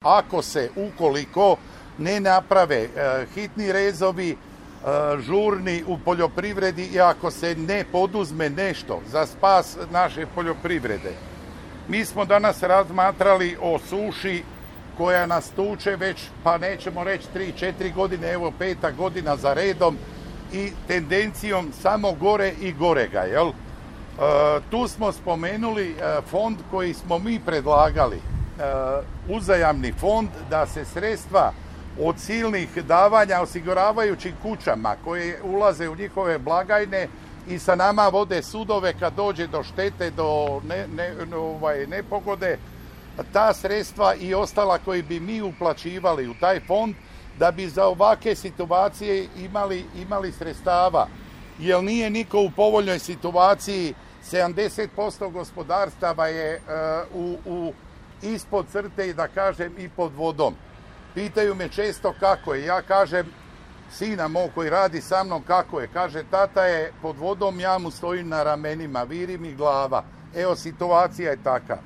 Ako se, ukoliko ne naprave hitni rezovi, žurni u poljoprivredi i ako se ne poduzme nešto za spas naše poljoprivrede. Mi smo danas razmatrali o suši koja nas tuče već, pa nećemo reći 3-4 godine, evo 5. godina za redom i tendencijom samo gore i gorega, jel? Tu smo spomenuli fond koji smo mi predlagali, uzajamni fond, da se sredstva od silnih davanja osiguravajućim kućama koje ulaze u njihove blagajne i sa nama vode sudove kad dođe do štete, do nepogode, ta sredstva i ostala koji bi mi uplaćivali u taj fond da bi za ovakve situacije imali sredstava. Jer nije niko u povoljnoj situaciji, 70% gospodarstava je ispod crte i da kažem i pod vodom. Pitaju me često kako je, ja kažem sina mog koji radi sa mnom kako je, kaže tata je pod vodom, ja mu stojim na ramenima, viri mi glava. Evo situacija je taka.